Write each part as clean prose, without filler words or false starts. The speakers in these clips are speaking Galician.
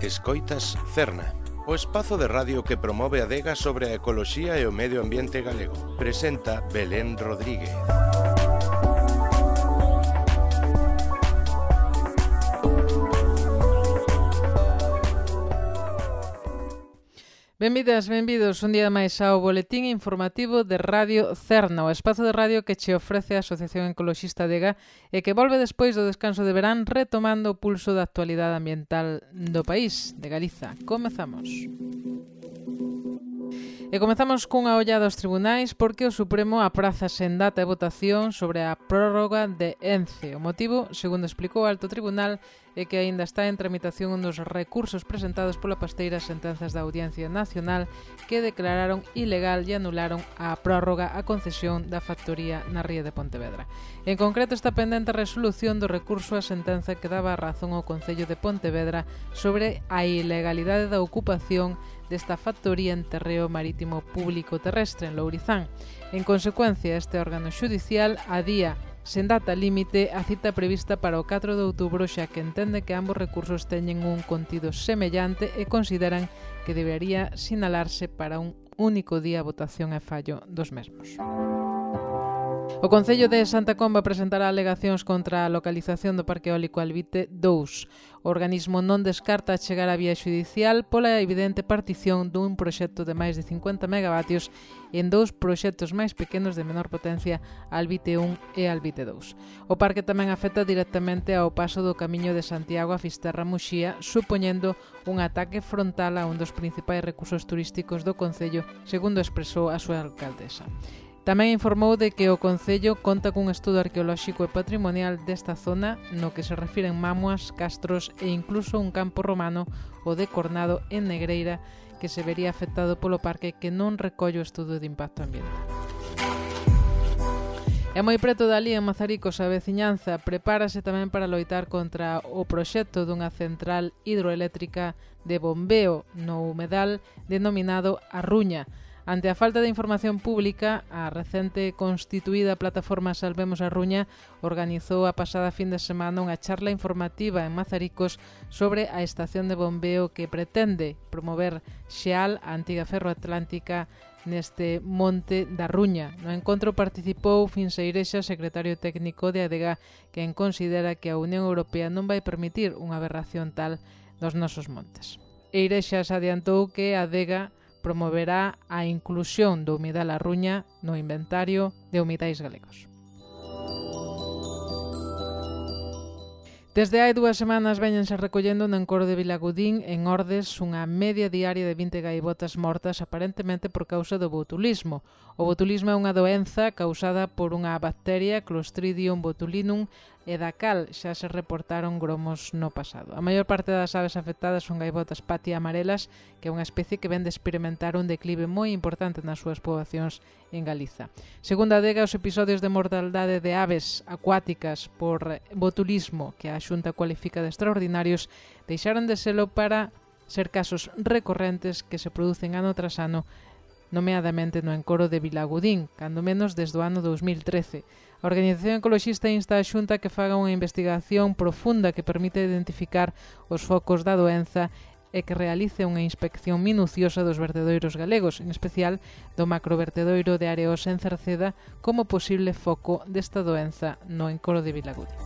Escoitas Cerna, o espazo de radio que promove a adega sobre a ecoloxía e o medio ambiente galego. Presenta Belén Rodríguez. Benvidas, benvidos un día máis ao boletín informativo de Radio Cerna, o espazo de radio que che ofrece a Asociación Ecoloxista Adega e que volve despois do descanso de verán retomando o pulso da actualidade ambiental do país, de Galiza. Comezamos. E comezamos cunha ollada aos tribunais porque o Supremo apraza sen data de votación sobre a prórroga de ENCE. O motivo, segundo explicou o Alto Tribunal, é que aínda está en tramitación un dos recursos presentados pola pasteira sentenzas da Audiencia Nacional que declararon ilegal e anularon a prórroga a concesión da factoría na ría de Pontevedra. En concreto, está pendente a resolución do recurso á sentenza que daba a razón ao Concello de Pontevedra sobre a ilegalidade da ocupación desta factoría en terreo marítimo público terrestre en Lourizán. En consecuencia, este órgano xudicial adía sen data límite a cita prevista para o 4 de outubro, xa que entende que ambos recursos teñen un contido semellante e consideran que debería sinalarse para un único día a votación e fallo dos mesmos. O Concello de Santa Comba presentará alegacións contra a localización do Parque Eólico Albite 2. O organismo non descarta chegar á vía xudicial pola evidente partición dun proxecto de máis de 50 megavatios en dous proxectos máis pequenos de menor potencia, Albite 1 e Albite 2. O parque tamén afecta directamente ao paso do Camiño de Santiago a Fisterra-Muxía, supoñendo un ataque frontal a un dos principais recursos turísticos do Concello, segundo expresou a súa alcaldesa. Tamén informou de que o Concello conta cun estudo arqueolóxico e patrimonial desta zona no que se refiren mámoas, castros e incluso un campo romano, o de Cornado en Negreira, que se vería afectado polo parque que non recolle o estudo de impacto ambiental. E moi preto dali, en Mazaricos, a veciñanza prepárase tamén para loitar contra o proxecto dunha central hidroeléctrica de bombeo no humedal denominado A Ruña. Ante a falta de información pública, a recente constituída plataforma Salvemos a Ruña organizou a pasada fin de semana unha charla informativa en Mazaricos sobre a estación de bombeo que pretende promover Xeal, a antiga ferroatlántica, neste monte da Ruña. No encontro participou Finseirexa, secretario técnico de ADEGA, quen considera que a Unión Europea non vai permitir unha aberración tal dos nosos montes. Eirexas adiantou que a ADEGA promoverá a inclusión do humidal A Ruña no inventario de humidais galegos. Desde hai 2 semanas véñense recollendo no encoro de Vilagudín, en Ordes, unha media diaria de 20 gaivotas mortas aparentemente por causa do botulismo. O botulismo é unha doenza causada por unha bacteria, Clostridium botulinum, e da cal xa se reportaron gromos no pasado. A maior parte das aves afectadas son gaivotas patia amarelas, que é unha especie que ven de experimentar un declive moi importante nas súas poboacións en Galiza. Segundo a ADEGA, os episodios de mortaldade de aves acuáticas por botulismo, que a Xunta cualifica de extraordinarios, deixaron de selo para ser casos recorrentes que se producen ano tras ano, nomeadamente no encoro de Vilagudín, cando menos desde o ano 2013. A Organización Ecoloxista insta a Xunta que faga unha investigación profunda que permita identificar os focos da doenza e que realice unha inspección minuciosa dos vertedoiros galegos, en especial do macrovertedoiro de Areos en Cerceda, como posible foco desta doenza no encoro de Vilagudín.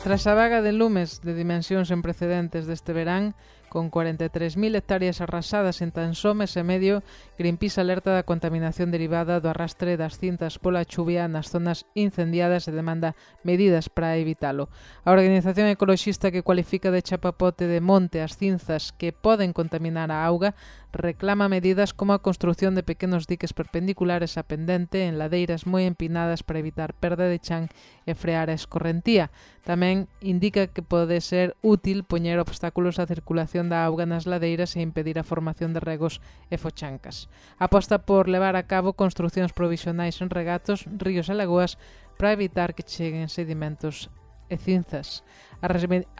Tras a vaga de lumes de dimensións sen precedentes deste verán, con 43.000 hectáreas arrasadas en tan só mes e medio, Greenpeace alerta da contaminación derivada do arrastre das cinzas pola chuvia nas zonas incendiadas e demanda medidas para evitalo. A organización ecoloxista que cualifica de chapapote de monte as cinzas que poden contaminar a auga reclama medidas como a construción de pequenos diques perpendiculares a pendente en ladeiras moi empinadas para evitar perda de chan e frear a escorrentía. Tamén indica que pode ser útil poñer obstáculos á circulación da auga nas ladeiras e impedir a formación de regos e fochancas. Aposta por levar a cabo construcións provisionais en regatos, ríos e lagoas para evitar que cheguen sedimentos e cinzas. A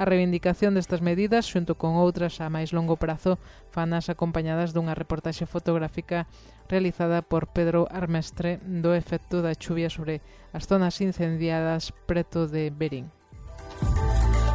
reivindicación destas medidas, xunto con outras a máis longo prazo, fanas acompañadas dunha reportaxe fotográfica realizada por Pedro Armestre do efecto da chuvia sobre as zonas incendiadas preto de Berín.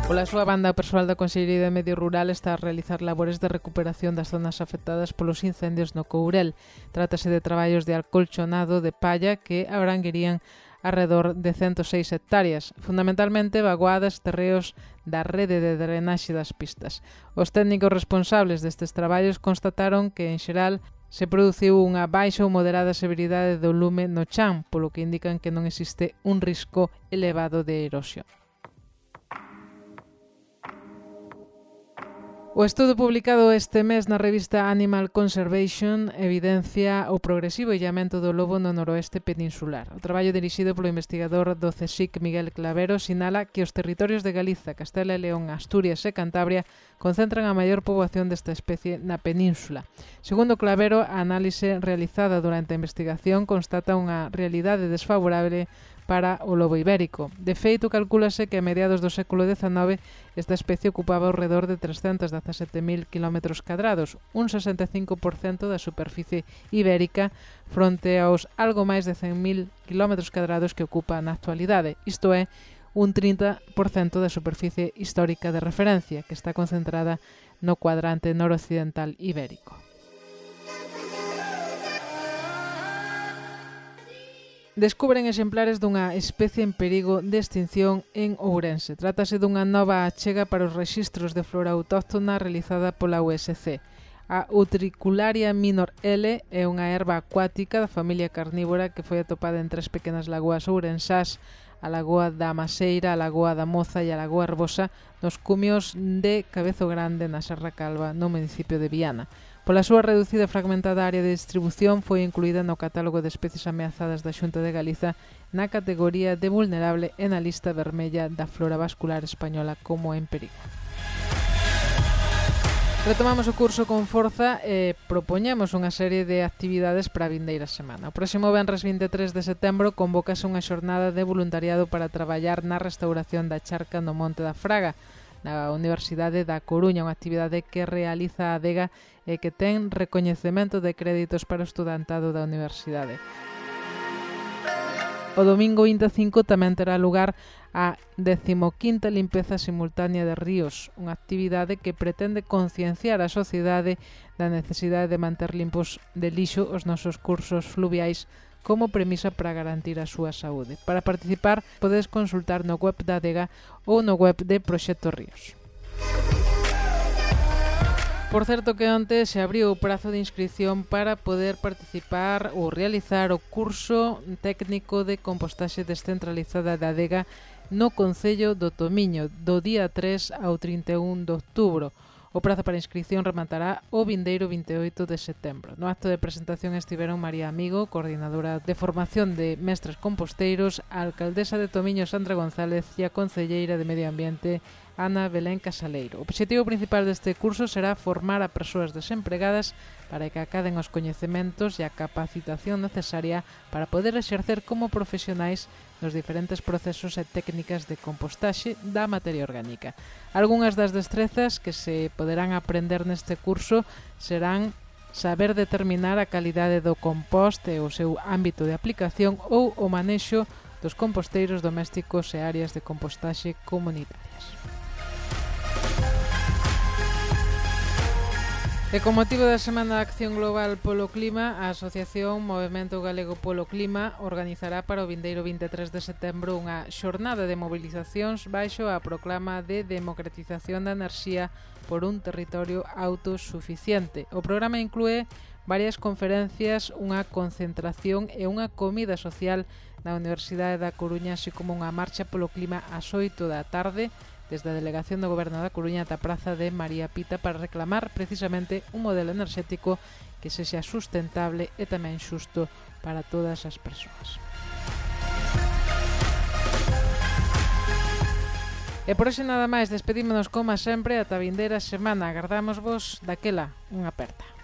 Pola súa banda, o persoal da Consellería de Medio Rural está a realizar labores de recuperación das zonas afectadas polos incendios no Courel. Trátase de traballos de acolchonado de palla que abranguerían arredor de 106 hectáreas, fundamentalmente vaguadas terreos da rede de drenaxe das pistas. Os técnicos responsables destes traballos constataron que, en xeral, se produciu unha baixa ou moderada severidade do lume no chan, polo que indican que non existe un risco elevado de erosión. O estudo publicado este mes na revista Animal Conservation evidencia o progresivo illamento do lobo no noroeste peninsular. O traballo dirixido polo investigador do CSIC Miguel Clavero sinala que os territorios de Galiza, Castela e León, Asturias e Cantabria concentran a maior poboación desta especie na península. Segundo Clavero, a análise realizada durante a investigación constata unha realidade desfavorable para o lobo ibérico. De feito, calcúlase que a mediados do século XIX esta especie ocupaba ao redor de 317.000 km², un 65% da superficie ibérica fronte aos algo máis de 100.000 km² que ocupa na actualidade, isto é, un 30% da superficie histórica de referencia, que está concentrada no cuadrante noroccidental ibérico. Descubren exemplares dunha especie en perigo de extinción en Ourense. Trátase dunha nova achega para os rexistros de flora autóctona realizada pola USC. A Utricularia minor L é unha erva acuática da familia carnívora que foi atopada en 3 pequenas lagoas ourensás, a Lagoa da Maseira, a Lagoa da Moza e a Lagoa Herbosa, nos cumios de Cabezo Grande, na Serra Calva, no municipio de Viana. Pola súa reducida e fragmentada área de distribución foi incluída no catálogo de especies ameazadas da Xunta de Galiza na categoría de vulnerable e na lista vermella da flora vascular española como en perigo. Retomamos o curso con forza e propoñemos unha serie de actividades para a vindeira semana. O próximo venres 23 de setembro convócase unha xornada de voluntariado para traballar na restauración da charca no Monte da Fraga, na Universidade da Coruña, unha actividade que realiza a Adega e que ten recoñecemento de créditos para o estudantado da universidade. O domingo 25 tamén terá lugar a 15ª limpeza simultánea de ríos, unha actividade que pretende concienciar a sociedade da necesidade de manter limpos de lixo os nosos cursos fluviais como premisa para garantir a súa saúde. Para participar, podes consultar no web da Adega ou no web de Proxecto Ríos. Por certo que onte se abriu o prazo de inscripción para poder participar ou realizar o curso técnico de compostaxe descentralizada da Adega no Concello do Tomiño, do día 3 ao 31 de outubro. O prazo para inscripción rematará o vindeiro 28 de setembro. No acto de presentación estiveron María Amigo, coordinadora de formación de mestres composteiros, a alcaldesa de Tomiño Sandra González e a concelleira de Medio Ambiente Ana Belén Casaleiro. O obxectivo principal deste curso será formar a persoas desempregadas para que acaden os coñecementos e a capacitación necesaria para poder exercer como profesionais nos diferentes procesos e técnicas de compostaxe da materia orgánica. Algúnas das destrezas que se poderán aprender neste curso serán saber determinar a calidade do compost e o seu ámbito de aplicación ou o manexo dos composteiros domésticos e áreas de compostaxe comunitarias. E con motivo da Semana de Acción Global polo Clima, a Asociación Movemento Galego polo Clima organizará para o vindeiro 23 de setembro unha xornada de mobilizacións baixo a proclama de democratización da enerxía por un territorio autosuficiente. O programa inclúe varias conferencias, unha concentración e unha comida social na Universidade da Coruña, así como unha marcha polo clima ás 8 da tarde, desde a Delegación do Goberno da Coruña ata a Praza de María Pita para reclamar precisamente un modelo enerxético que sexa sustentable e tamén xusto para todas as persoas. E por hoxe nada máis, despedímonos como sempre ata a vindeira semana. Agardámosvos daquela unha aperta.